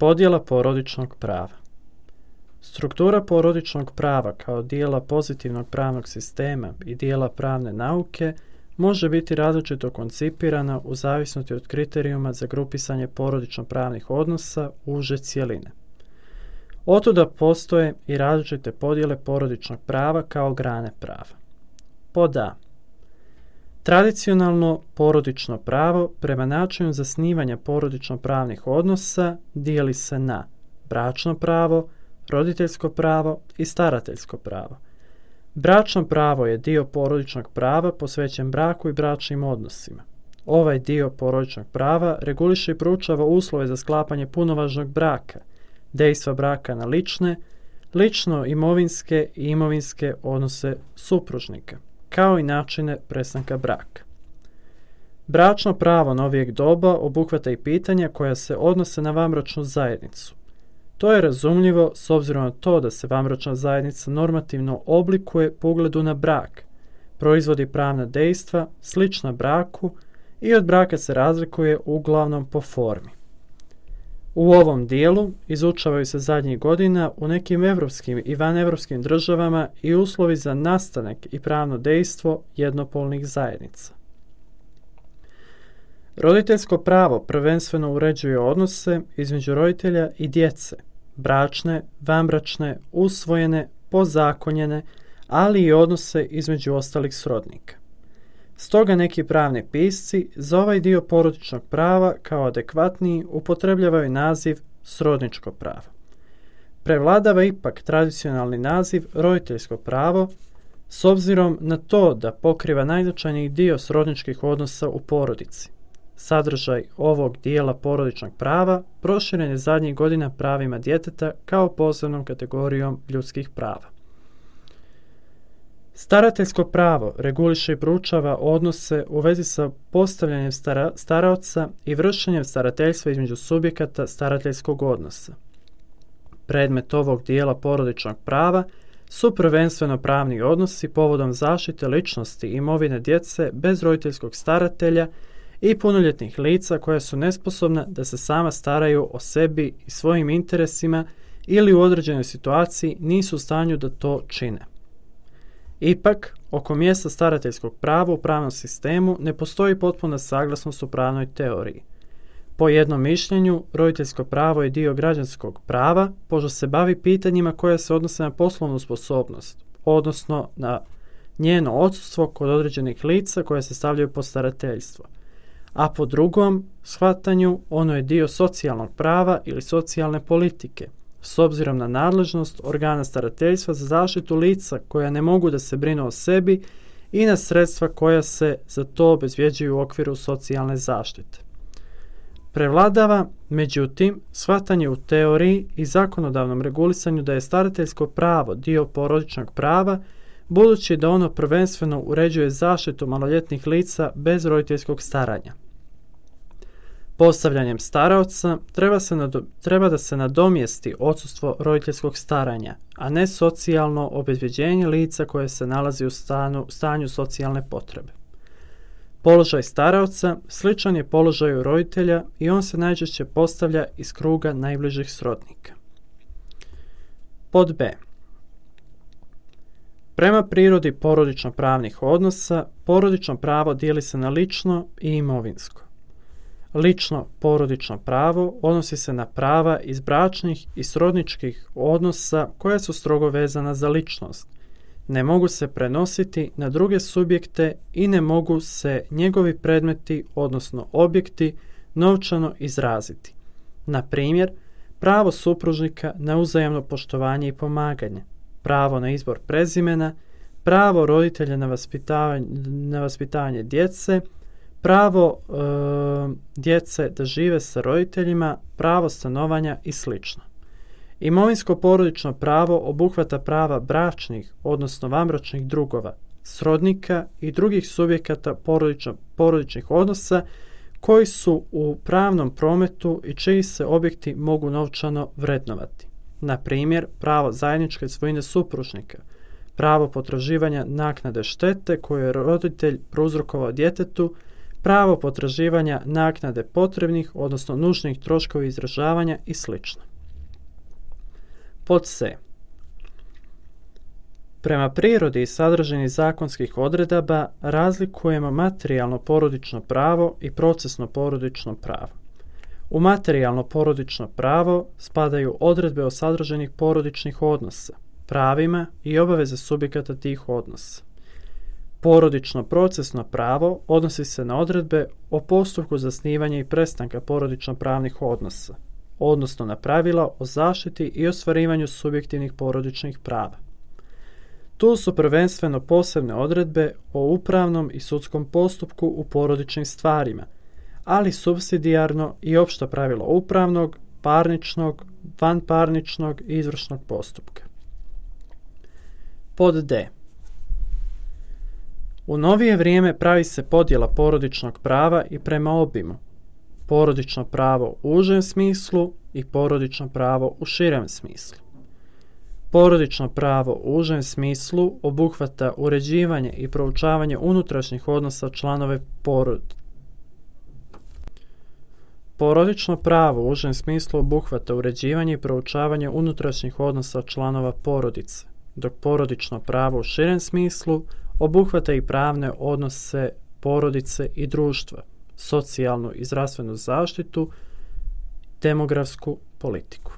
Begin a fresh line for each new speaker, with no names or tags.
Podjela porodičnog prava. Struktura porodičnog prava kao dijela pozitivnog pravnog sistema i dijela pravne nauke može biti različito koncipirana u zavisnosti od kriterijuma za grupisanje porodično-pravnih odnosa uže cjeline. Otuda postoje i različite podjele porodičnog prava kao grane prava. Pod A. Tradicionalno porodično pravo prema načinu zasnivanja porodično-pravnih odnosa dijeli se na bračno pravo, roditeljsko pravo i starateljsko pravo. Bračno pravo je dio porodičnog prava posvećen braku i bračnim odnosima. Ovaj dio porodičnog prava reguliše i proučava uslove za sklapanje punovažnog braka, dejstva braka na lično-imovinske i imovinske odnose supružnika, kao i načine prestanka braka. Bračno pravo novijeg doba obuhvata i pitanja koja se odnose na vanbračnu zajednicu. To je razumljivo s obzirom na to da se vanbračna zajednica normativno oblikuje po ugledu na brak, proizvodi pravna dejstva slična braku i od braka se razlikuje uglavnom po formi. U ovom dijelu izučavaju se zadnjih godina u nekim evropskim i vanevropskim državama i uslovi za nastanak i pravno dejstvo jednopolnih zajednica. Roditeljsko pravo prvenstveno uređuje odnose između roditelja i djece, bračne, vanbračne, usvojene, pozakonjene, ali i odnose između ostalih srodnika. Stoga neki pravni pisci za ovaj dio porodičnog prava kao adekvatniji upotrebljavaju naziv srodničko pravo. Prevladava ipak tradicionalni naziv roditeljsko pravo s obzirom na to da pokriva najznačajniji dio srodničkih odnosa u porodici. Sadržaj ovog dijela porodičnog prava proširen je zadnjih godina pravima djeteta kao posebnom kategorijom ljudskih prava. Starateljsko pravo reguliše i proučava odnose u vezi sa postavljanjem staraoca i vršenjem starateljstva između subjekata starateljskog odnosa. Predmet ovog dijela porodičnog prava su prvenstveno pravni odnosi povodom zaštite ličnosti i imovine djece bez roditeljskog staratelja i punoljetnih lica koja su nesposobna da se sama staraju o sebi i svojim interesima ili u određenoj situaciji nisu u stanju da to čine. Ipak, oko mjesta starateljskog prava u pravnom sistemu ne postoji potpuna saglasnost u pravnoj teoriji. Po jednom mišljenju, roditeljsko pravo je dio građanskog prava, pošto se bavi pitanjima koja se odnose na poslovnu sposobnost, odnosno na njeno odsustvo kod određenih lica koja se stavljaju pod starateljstvo. A po drugom shvatanju ono je dio socijalnog prava ili socijalne politike, s obzirom na nadležnost organa starateljstva za zaštitu lica koja ne mogu da se brinu o sebi i na sredstva koja se za to obezvjeđuju u okviru socijalne zaštite. Prevladava, međutim, shvatanje u teoriji i zakonodavnom regulisanju da je starateljsko pravo dio porodičnog prava, budući da ono prvenstveno uređuje zaštitu maloljetnih lica bez roditeljskog staranja. Postavljanjem staraoca treba da se nadomjesti odsustvo roditeljskog staranja, a ne socijalno obezvjeđenje lica koje se nalazi u stanju socijalne potrebe. Položaj staraoca sličan je položaju roditelja i on se najčešće postavlja iz kruga najbližih srodnika. Pod B. Prema prirodi porodično-pravnih odnosa, porodično pravo dijeli se na lično i imovinsko. Lično porodično pravo odnosi se na prava iz bračnih i srodničkih odnosa koja su strogo vezana za ličnost. Ne mogu se prenositi na druge subjekte i ne mogu se njegovi predmeti, odnosno objekti, novčano izraziti. Na primjer, pravo supružnika na uzajamno poštovanje i pomaganje, pravo na izbor prezimena, pravo roditelja na vaspitavanje djece, pravo djece da žive sa roditeljima, pravo stanovanja i sl. Imovinsko porodično pravo obuhvata prava bračnih, odnosno vanbračnih drugova, srodnika i drugih subjekata porodičnih odnosa koji su u pravnom prometu i čiji se objekti mogu novčano vrednovati. Na primjer, pravo zajedničke svojine supružnika, pravo potraživanja naknade štete koju je roditelj prouzrokovao djetetu, pravo potraživanja naknade potrebnih, odnosno nužnih troškova izdržavanja i sl. Pod C. Prema prirodi i sadržini zakonskih odredaba razlikujemo materijalno porodično pravo i procesno porodično pravo. U materijalno porodično pravo spadaju odredbe o sadržanih porodičnih odnosa, pravima i obaveze subjekata tih odnosa. Porodično procesno pravo odnosi se na odredbe o postupku zasnivanja i prestanka porodično-pravnih odnosa, odnosno na pravila o zaštiti i ostvarivanju subjektivnih porodičnih prava. Tu su prvenstveno posebne odredbe o upravnom i sudskom postupku u porodičnim stvarima, ali supsidijarno i opšta pravila upravnog, parničnog, vanparničnog i izvršnog postupka. Pod D. U novije vrijeme pravi se podjela porodičnog prava i prema obimu. Porodično pravo u užem smislu i porodično pravo u širem smislu. Porodično pravo u užem smislu obuhvata uređivanje i proučavanje unutrašnjih odnosa članove porodice. Porodično pravo u užem smislu obuhvata uređivanje i proučavanje unutrašnjih odnosa članova porodice, dok porodično pravo u širem smislu obuhvata i pravne odnose porodice i društva, socijalnu i zdravstvenu zaštitu, demografsku politiku.